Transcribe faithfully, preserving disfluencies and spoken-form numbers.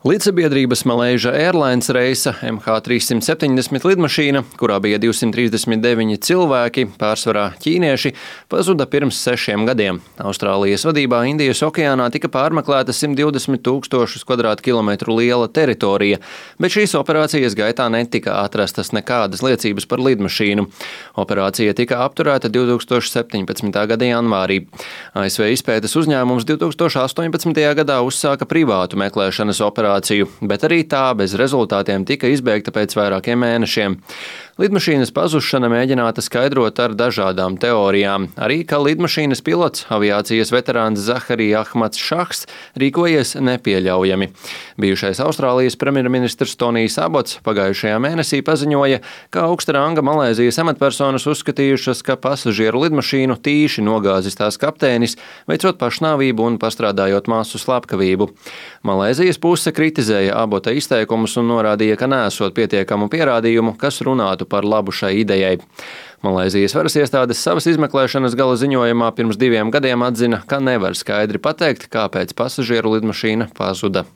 Līdzsabiedrības Malaysia Airlines reisa M H trīssimt septiņdesmit lidmašīna, kurā bija divsimt trīsdesmit deviņi cilvēki, pārsvarā ķīnieši, pazuda pirms sešiem gadiem. Austrālijas vadībā Indijas okeānā tika pārmeklēta simt divdesmit tūkstošus kvadrātkilometru liela teritorija, bet šīs operācijas gaitā netika atrastas nekādas liecības par lidmašīnu. Operācija tika apturēta divtūkstoš septiņpadsmitā gada janvārī. A S V izpētes uzņēmums divtūkstoš astoņpadsmitajā gadā uzsāka privātu meklēšanas operāciju, bet arī tā bez rezultātiem tika izbeigta pēc vairākiem mēnešiem. Lidmašīnas pazušana mēģināta skaidrot ar dažādām teorijām. Arī, ka lidmašīnas pilots, aviācijas veterāns Zaharī Ahmads Šahs, rīkojies nepieļaujami. Bijušais Austrālijas premjerministrs Tonijs Abots pagājušajā mēnesī paziņoja, ka augsta ranga Malaizijas amatpersonas uzskatījušas, ka pasažieru lidmašīnu tīši nogāzis tās kapteinis, veicot pašnāvību un pastrādājot masu slepkavību. Malaizijas puse kritizēja Abota izteikumus un norādīja, ka nesot pietiekamu pierādījumu, kas runātu par labu šai idejai. Malaizijas varas iestādes savas izmeklēšanas gala ziņojumā pirms diviem gadiem atzina, ka nevar skaidri pateikt, kāpēc pasažieru lidmašīna pazuda.